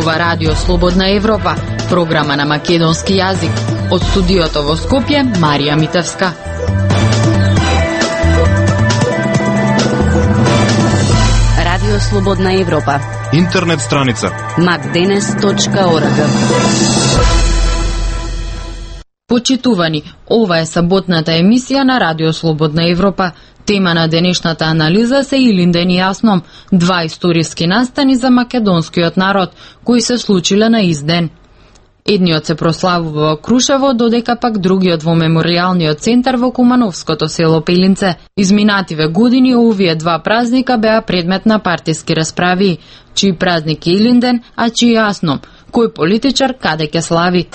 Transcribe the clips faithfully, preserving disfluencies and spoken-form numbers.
зборува Радио Слободна Европа, програма на македонски јазик. Од студиото во Скопје, Марија Митевска. Радио Слободна Европа. Интернет страница макденес точка орг. Почитувани, ова е саботната емисија на Радио Слободна Европа. Тема на денешната анализа се Илинден и Јасном, два историски настани за македонскиот народ, кои се случиле на ист ден. Едниот се прославува во Крушево, додека пак другиот во меморијалниот центар во Кумановското село Пелинце. Изминативе години овие два празника беа предмет на партиски расправи. Чиј празник е Илинден, а чиј Јасном? Кој политичар каде ќе слави?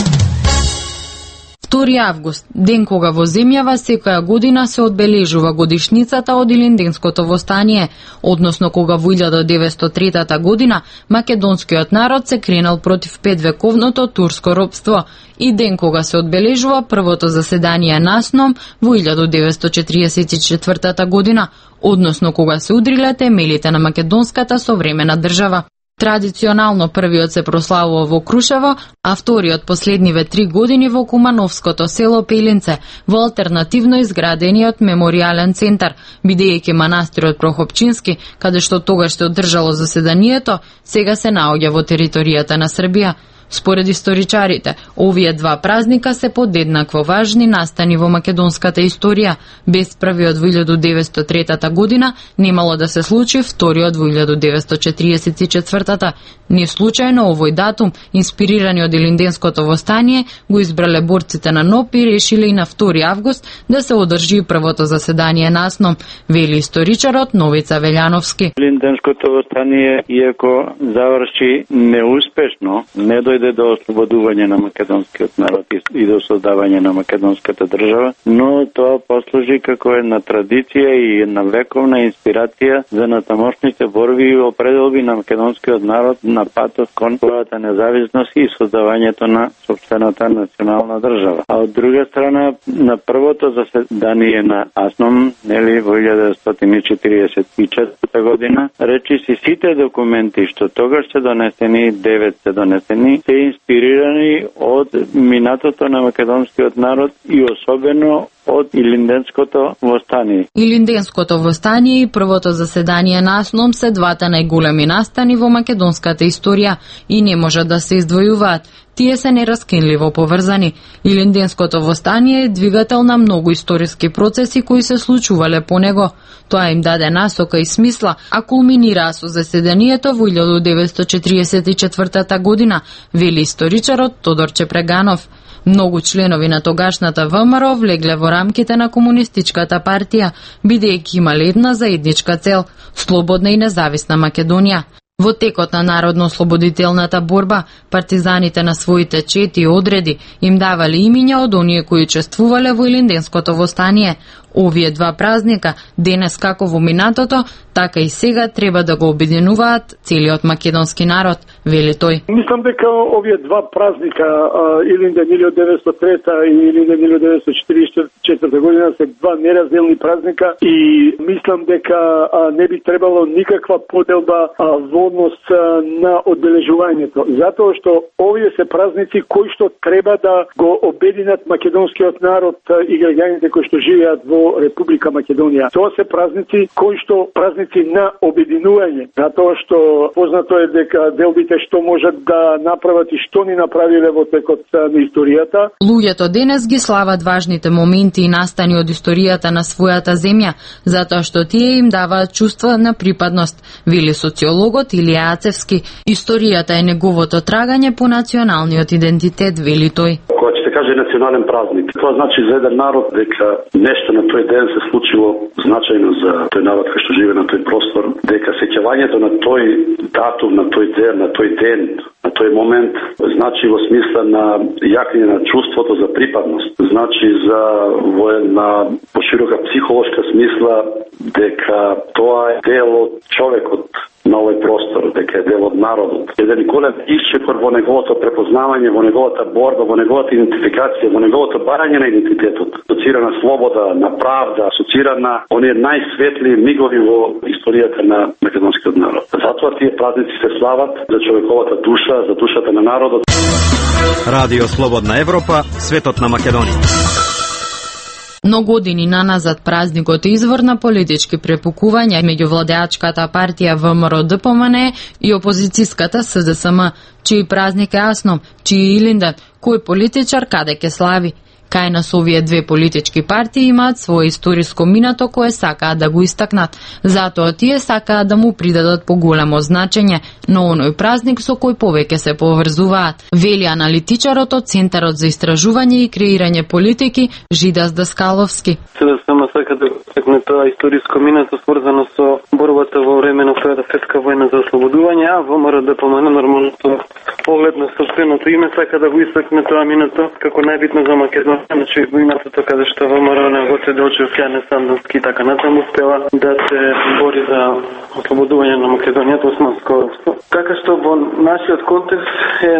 втори август, ден кога во земјава секоја година се одбележува годишницата од Илинденското востание, односно кога во илјада деветстотини и трета година македонскиот народ се кренал против петвековното турско робство, и ден кога се одбележува првото заседание на СНОМ во илјада деветстотини четиридесет и четвртата година, односно кога се удриле темелите на македонската современа држава. Традиционално првиот се прославува во Крушево, а вториот последниве три години во Кумановското село Пелинце, во алтернативно изградениот меморијален центар, бидејќи манастирот Прохопчински, каде што тогаш се одржало заседанието, сега се наоѓа во територијата на Србија. Според историчарите, овие два празника се подеднакво важни настани во македонската историја. Без првиот во илјада деветстотини и третата година немало да се случи вториот во илјада деветстотини четиридесет и четвртата. Не случајно овој датум, инспирирани од Илинденското востание, го избрале борците на НОП и решиле и на втори август да се одржи првото заседание на СНОМ, вели историчарот Новица Велјановски. Илинденското востание, иако заврши неуспешно, не дојде до ослободување на македонскиот народ и до создавање на македонската држава, но тоа послужи како една традиција и една вековна инспирација за натамошните борби и определби на македонскиот народ на патот кон својата независност и создавањето на сопствената национална држава. А од друга страна, на првото заседание на СНОМ, нели, во илјада деветстотини четиридесет и четврта година, речиси сите документи што тогаш се донесени, девет се донесени, се инспирирани од минатото на македонскиот народ и особено од Илинденското востание. Илинденското востание и првото заседание на СНОМ се двата најголеми настани во македонската историја и не можат да се издвојуваат. Тие се нераскинливо поврзани. Илинденското востание е двигател на многу историски процеси кои се случувале по него. Тоа им даде насока и смисла, а кулминираа со заседанието во илјада деветстотини четиридесет и четвртата година, вели историчарот Тодор Чепреганов. Многу членови на тогашната ВМРО влегле во рамките на Комунистичката партија, бидејќи имале една заедничка цел – слободна и независна Македонија. Во текот на народно-ослободителната борба, партизаните на своите чети и одреди им давале имиња од оние кои учествувале во Илинденското востание. Овие два празника, денес како во минатото, така и сега треба да го обединуваат целиот македонски народ, вели тој. Мислам дека овие два празника, Илинден илјада деветстотини и трета и Илинден илјада деветстотини четиридесет и четврта година, се два неразделни празника и мислам дека не би требало никаква поделба во однос на одбележувањето, затоа што овие се празници кои што треба да го обединат македонскиот народ и граѓаните кои што живеат во Република Македонија. Тоа се празници кои што празници на обединување, затоа што познато е дека делбите што можат да направат и што ни направиле во текот на историјата. Луѓето денес ги слават важните моменти и настани од историјата на својата земја, затоа што тие им даваат чувство на припадност, вели социологот Илија Ацевски. Историјата е неговото трагање по националниот идентитет, вели тој. Кога ќе се каже национален празник, тоа значи за еден народ дека нешто на тој ден се случило значајно за тој народ кој што живее на тој простор, дека сеќавањето на тој датум, на тој ден, на тој ден, на тој момент значи во смисла на јакнење на чувството за припадност, значи за во една поширока психолошка смисла дека тоа е дел од човекот, на овој простор, дека е дел од народот. Еден голем исчекор во неговото препознавање, во неговата борба, во неговата идентификација, во неговото барање на идентитетот. Асоцира на слобода, на правда, асоцира на оние најсветли мигови во историјата на македонскиот народ. Затоа тие празници се слават за човековата душа, за душата на народот. Радио Слободна Европа, светот на Македонија. Но години наназад празникот е извор на политички препукувања меѓу владеачката партија ВМРО-ДПМНЕ и опозицијската СДСМ, чиј празник е Асном, чиј е Илинден, кој политичар каде ке слави. Кај нас овие две политички партии имаат свое историско минато кое сакаат да го истакнат. Затоа тие сакаат да му придадат поголемо значење, но оној празник со кој повеќе се поврзуваат. Вели аналитичарот од Центарот за истражување и креирање политики Жидас Даскаловски. СДСМ сака да истакне тоа историско минато сврзано со борбата во време на Втората светска војна за ослободување, а ВМРО-ДПМНЕ нормално со поглед на собственото име сака да го истакне тоа минато како најбитно за Македонија. Значи, минатото каде што ВМРО не го се Делчев, Јане Сандански и така натаму успела да се бори за ослободување на Македонија од османско робство. Така што во нашиот контекст е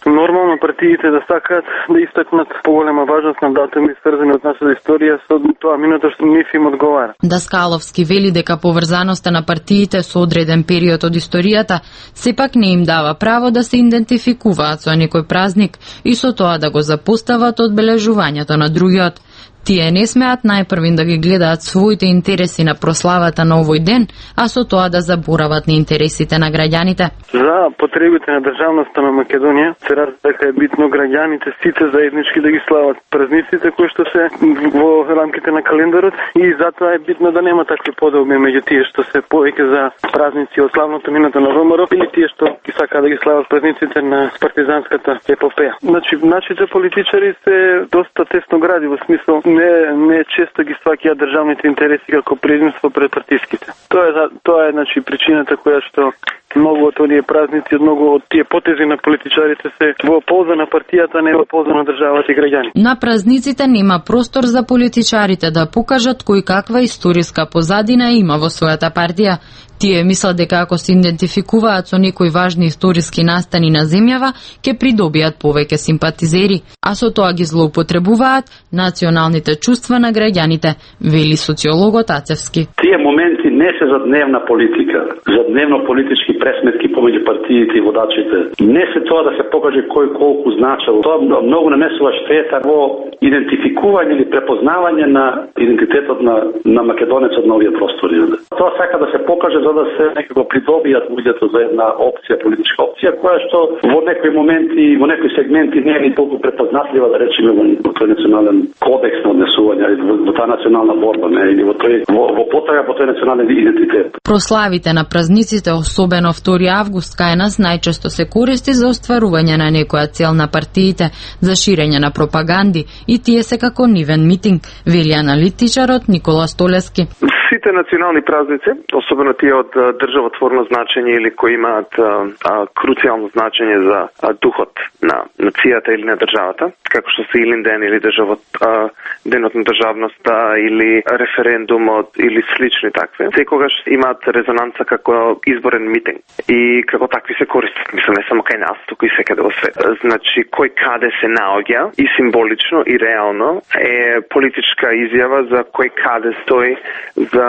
нормално партиите да сакаат да истакнат поголема важност на датуми сврзани од нашата историја со тоа минато што нив им одговара. Даскаловски вели дека поврзаноста на партиите со одреден период од историјата сепак не им дава право да се идентификуваат со некој празник и со тоа да го запостават одбележувањето на другиот. Тие не смеат најпрвин да ги гледаат своите интереси на прославата на овој ден, а со тоа да заборават на интересите на граѓаните. За потребите на државноста на Македонија се разбира дека е битно граѓаните сите заеднички да ги слават празниците кои што се во рамките на календарот и затоа е битно да нема такви подобни меѓу тие што се повеќе за празници од славното минато на ВМРО или тие што ги сакаат да ги слават празниците на партизанската епопеја. Значи, нашите политичари се доста тесно гради во смисол не не често ги сваќаат државните интереси како предимство пред партиските. Тоа е тоа е значи причината која што многу од оние празници, многу од тие потези на политичарите се во полза на партијата, не во полза на државата и граѓани. На празниците нема простор за политичарите да покажат кој каква историска позадина има во својата партија. Тие мислат дека ако се идентификуваат со некои важни историски настани на земјава, ќе придобијат повеќе симпатизери, а со тоа ги злоупотребуваат националните чувства на граѓаните, вели социологот Ацевски. Тие моменти не се за дневна политика, за дневно политички пресметки помеѓу партиите и водачите. Не се тоа да се покаже кој колку значел. Тоа многу нанесува штета во идентификување или препознавање на идентитетот на на македонецот на овие простори. Тоа сака да се покаже за да се некако придобијат луѓето за една опција, политичка опција, која што во некои моменти, во некои сегменти не е ни толку препознатлива, да речеме, во тој национален кодекс на однесување, во, во таа национална борба, не, или во тој во, во потрага по тој национален идентитет. Прославите на празниците, особено втори август, кај нас најчесто се користи за остварување на некоја цел на партиите, за ширење на пропаганди и тие се како нивен митинг, вели аналитичарот Никола Столески. Сите национални празници, особено тие од државотворно значење или кои имаат а, а, круцијално значење за а, духот на нацијата или на државата, како што се Илинден или државот, а, денот на државноста или референдумот или слични такви, секогаш имаат резонанца како изборен митинг и како такви се користат. Мислам, не само кај нас, туку и секаде во свет. Значи, кој каде се наоѓа и символично и реално е политичка изјава за кој каде стои за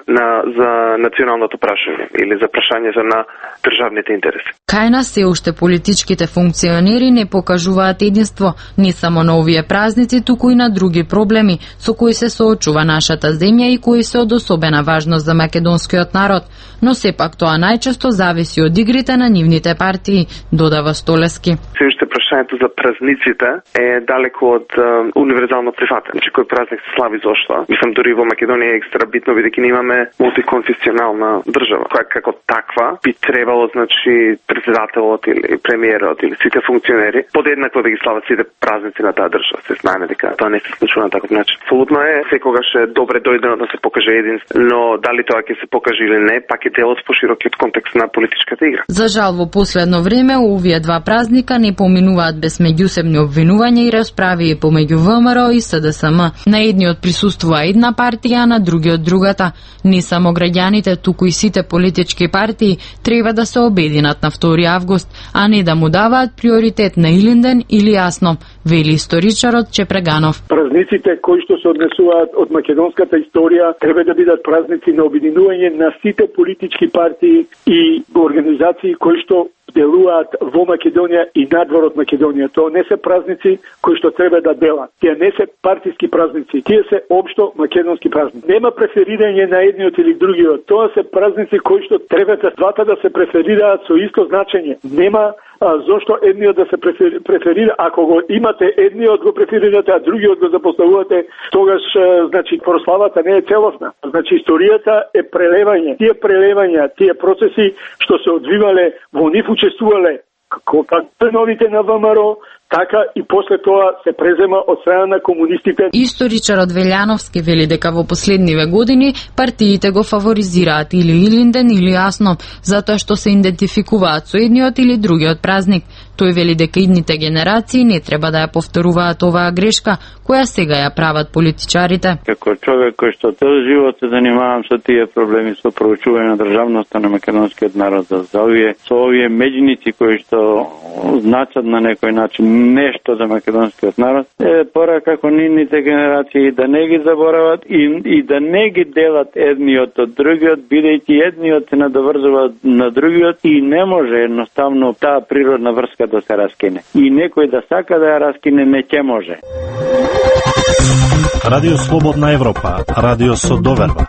на за националното прашање или за прашањето на државните интереси. Кај нас се уште политичките функционери не покажуваат единство не само на овие празници, туку и на други проблеми со кои се соочува нашата земја и кои се од особена важност за македонскиот народ, но сепак тоа најчесто зависи од игрите на нивните партии, додава Столески. Се уште прашањето за празниците е далеко од uh, универзално прифатен. Значи, кој празник се слави зошто? Мислам, дури во Македонија е екстра битно, бидејќи ние имаме мултиконфесионална држава, која како таква би требало, значи, председателот или премиерот или сите функционери подеднакво да ги слават сите празници на таа држава. Се знаеме дека тоа не се случува на таков начин. Абсолютно е, секогаш е добре дојдено да се покаже единство, но дали тоа ќе се покаже или не, пак е дел од поширокиот контекст на политичката игра. За жал, во последно време овие два празника не поминуваат остануваат без меѓусебни обвинувања и расправи помеѓу ВМРО и СДСМ. На едниот присуствува една партија, а на другиот другата. Не само граѓаните, туку и сите политички партии треба да се обединат на втори август, а не да му даваат приоритет на Илинден или Јасно, вели историчарот Чепреганов. Празниците кои што се однесуваат од македонската историја треба да бидат празници на обединување на сите политички партии и организации кои што делуваат во Македонија и надвор од Македонија. Тоа не се празници кои што треба да делат. Тие не се партиски празници, тие се општо македонски празници. Нема преферирање на едниот или другиот. Тоа се празници кои што треба да двата да се преферираат со исто значење. Нема а, зошто едниот да се преферира, ако го имате едниот го преферирате, а другиот го запоставувате, тогаш значи прославата не е целосна. Значи историјата е прелевање. Тие прелевања, тие процеси што се одвивале, во нив учествувале како членовите на ВМРО, така и после тоа се презема од страна на комунистите. Историчарот Велјановски вели дека во последниве години партиите го фаворизираат или Илинден или Јасно, затоа што се идентификуваат со едниот или другиот празник. Тој вели дека идните генерации не треба да ја повторуваат оваа грешка, која сега ја прават политичарите. Како човек кој што цел живот се занимавам со тие проблеми, со проучување на државноста на македонскиот народ, за овие, со овие меѓуници кои што значат на некој начин нешто за македонскиот народ, е пора како нивните генерации да не ги заборават и, и да не ги делат едниот од другиот, бидејќи едниот се надоврзува на другиот и не може едноставно таа природна врска да се раскине. И некој да сака да ја раскине, не ќе може. Радио Слободна Европа, радио со доверба.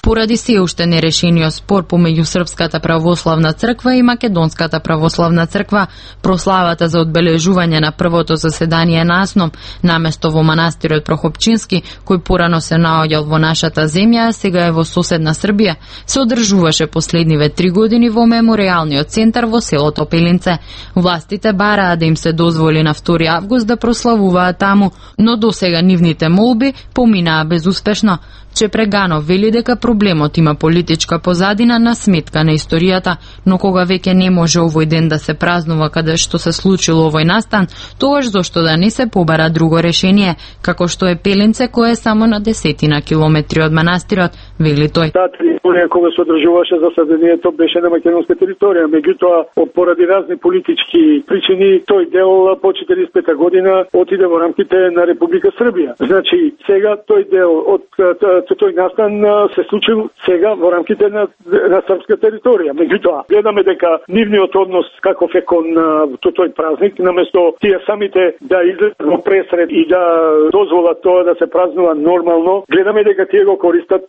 Поради се уште нерешениот спор помеѓу Српската православна црква и Македонската православна црква, прославата за одбележување на првото заседание на Асном, наместо во манастирот Прохопчински, кој порано се наоѓал во нашата земја, а сега е во соседна Србија, се одржуваше последниве три години во меморијалниот центар во селото Пелинце. Властите бараа да им се дозволи на втори август да прославуваат таму, но досега нивните молби поминаа безуспешно. Чепреганов вели дека проблемот има политичка позадина на сметка на историјата, но кога веќе не може овој ден да се празнува каде што се случило овој настан, тогаш зошто да не се побара друго решение, како што е Пелинце, кое е само на десетина километри од манастирот, вели тој. Таа територија кога се одржуваше заседанието беше на македонска територија, меѓутоа поради разни политички причини тој дел по четириесет и пета година отиде во рамките на Република Србија. Значи сега тој дел од тој настан се случил сега во рамките на, на српска територија. Меѓутоа, гледаме дека нивниот однос каков е кон тој празник, наместо тие самите да излезат во пресред и да дозволат тоа да се празнува нормално, гледаме дека тие го користат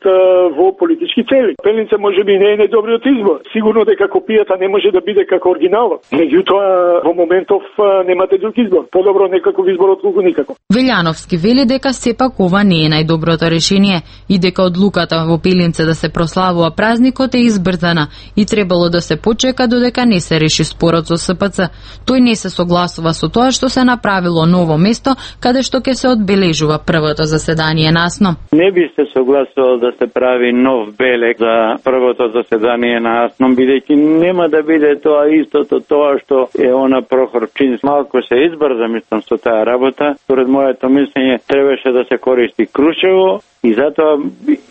во политички цели. Пелинце можеби не е најдобриот избор. Сигурно дека копијата не може да биде како оригиналот. Меѓутоа, во моментов немате друг избор. Подобро некаков избор отколку никако. Велјановски вели дека сепак ова не е најдоброто решение и дека одлуката во Пелинце да се прославува празникот е избрзана и требало да се почека додека не се реши спорот со СПЦ. Тој не се согласува со тоа што се направило ново место каде што ќе се одбележува првото заседание на Асном. Не би се согласувал да се прави нов белег за првото заседание на Асном, бидејќи нема да биде тоа истото тоа што е она Прохорчински. Малку се избрза, мислам, со таа работа. Според моето мислење требаше да се користи Крушево. И затоа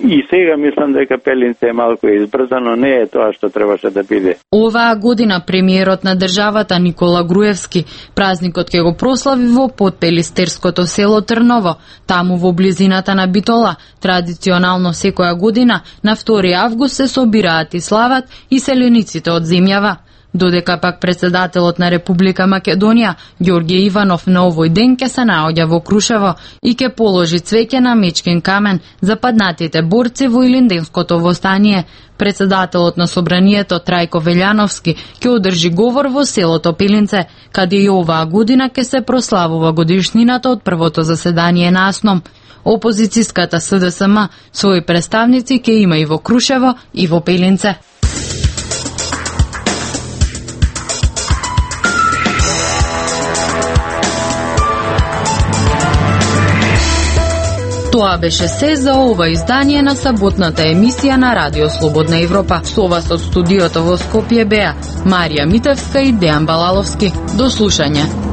и сега мислам дека Пелинце е малку избрзано, не е тоа што требаше да биде. Оваа година премиерот на државата Никола Груевски празникот ќе го прослави во подпелистерското село Трново, таму во близината на Битола. Традиционално секоја година на втори август се собираат и слават и селениците од земјава. Додека пак председателот на Република Македонија, Ѓорѓе Иванов, на овој ден ќе се наоѓа во Крушево и ќе положи цвеќе на мечкин камен за паднатите борци во Илинденското востание. Председателот на Собранието Трајко Велјановски ќе одржи говор во селото Пелинце, каде и оваа година ќе се прославува годишнината од првото заседание на Асном. Опозицијската СДСМ своји представници ќе има и во Крушево и во Пелинце. Тоа беше се за ова издание на саботната емисија на Радио Слободна Европа. Со вас од студиото во Скопје беа Марија Митевска и Дејан Балаловски. До слушање.